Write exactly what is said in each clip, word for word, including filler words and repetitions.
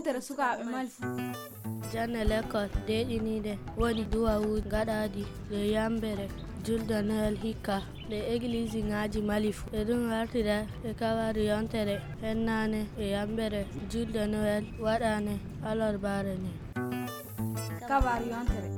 Yewtere sukaaɓe Mali fuu. Jannde lekkol deeƴiniiɗe woni duwawuuji gaɗaaɗi e yammbere julde Noel hikka e egiliisiŋaaji Mali fuu. E ɗum artira e kabaaru yontere hennaane e yammbere julde Noel waɗaane alarbaare ne. Kabaaru yontere.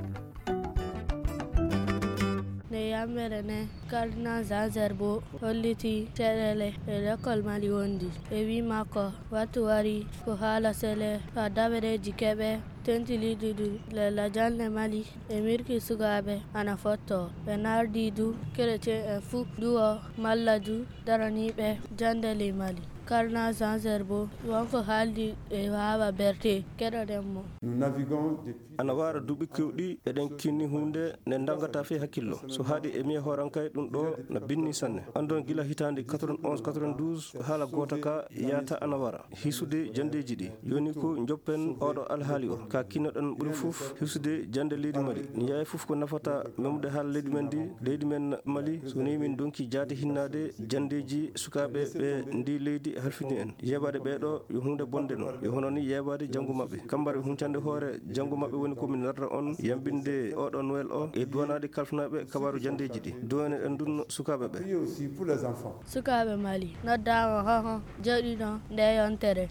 Nde yammbere ne, Cardinal Jean Gerbeau hollitii caɗeele e lekkol Mali wondi. E wii makko, wattu wari ko haala sele haa dabareeji keɓe tentiniiɗi ɗum le lajal ne Mali e mirki sukaaɓe ana fottoo. Ɓe nardii du keretien en fuu duwo malla du daraniiɓe jannde ley Mali. Cardinal Jean Gerbeau won ko haaldi e Wawa Berté, keɗoɗen mo. Nous naviguons depuis Ana wara duuɓi kewɗi eɗen kinni huunde nde danngata fey hakkillo. So haaɗi e miya hoorankay ɗum ɗo na binni sanne. Anndon gila hitaande quatre-vingt-onze quatre-vingt-douze ko haala goota ka yahata ana wara. Hisude janndeeji ɗi. Yoni ko njoppen oɗo alhaali o. Ka kinnoɗen ɓuri fof hisude jannde leydi Mali. Ni yaay fof ko nafata memude haala leydi men ndi, leydi men Mali. So ni min donki jaade hinnaade janndeeji sukaaɓe ɓe ndi leydi halfini en. Yeebaade ɓee ɗo yo huunde bonde noon. Yo hono ni yeebaade janngo maɓɓe. Kambari huncande hoore janngo maɓɓe woni ko min narra on yambinde oɗo Noël o e duwanaaɗi kalfinaaɓe kabaaru janndeeji ɗi. Duwane ɗen ndun sukaaɓe ɓe. Priez aussi pour les enfants. Sukaaɓe Mali noddaama hoho jooɗiɗo nde yontere.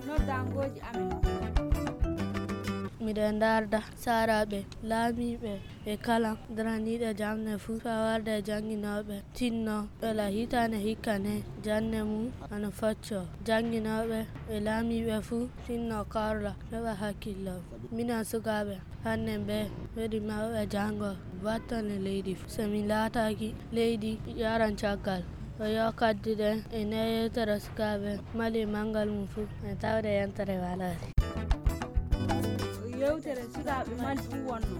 Noddangooji amen. Miɗen ndarda saaraaɓe, laamiiɓe e kala daraniiɗo jam ne fuu, faa warde jannginooɓe, tinno ɓela hitaande hikka ne jannde mum ana foccoo. Jannginooɓe e laamiiɓe fuu tinno karla, heɓa hakkillo. Minen sukaaɓe, hannde ɓe weli mawɓe janngo battane leydi fuu. So min laataaki leydi yaran caggal. O yo kadduɗen e nde yewtere sukaaɓe Mali manngal mum fuu, e tawde yontere waloore. Yewtere sukaaɓe Mali fuu wonno.